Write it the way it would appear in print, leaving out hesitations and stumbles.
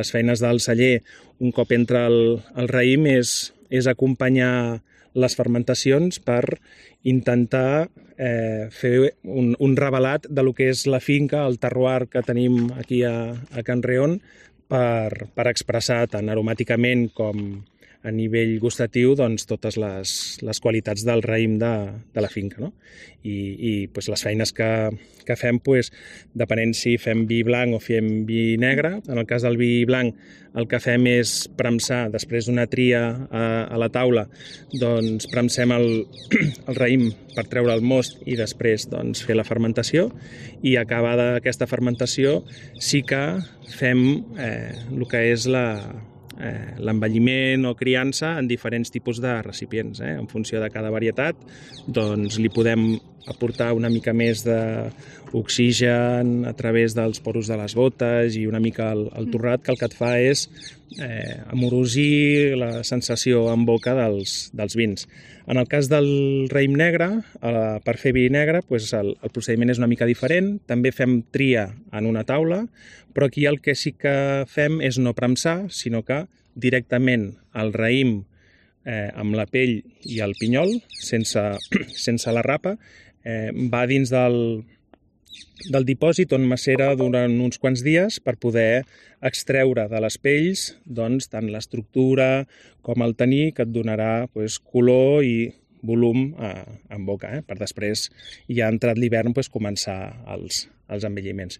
Les feines del celler, un cop entra el raïm, és acompanyar les fermentacions per intentar fer un revelat de lo que és la finca, el terroir que tenim aquí a Can Reon, per expressar tant aromàticament com a nivell gustatiu doncs, totes les qualitats del raïm de la finca. No? I pues, les feines que fem, pues, depenent si fem vi blanc o fem vi negre. En el cas del vi blanc, el que fem és premsar, després d'una tria a la taula, doncs premsem el raïm per treure el most i després doncs, fer la fermentació, i acabada aquesta fermentació sí que fem el que és l'envelliment o criança en diferents tipus de recipients. En funció de cada varietat doncs, li podem aportar una mica més d'oxigen a través dels poros de les botes i una mica el torrat, que el que et fa és amorosir la sensació en boca dels vins. En el cas del raïm negre, per fer vi negre, doncs el procediment és una mica diferent. També fem tria en una taula, però aquí el que sí que fem és no premsar, sinó que directament el raïm amb la pell i el pinyol, sense la rapa, va dins del dipòsit on macera durant uns quants dies per poder extreure de les pells doncs, tant l'estructura com el taní, que et donarà doncs, color i volum en boca, per després, ja entrat l'hivern, començar els envelliments.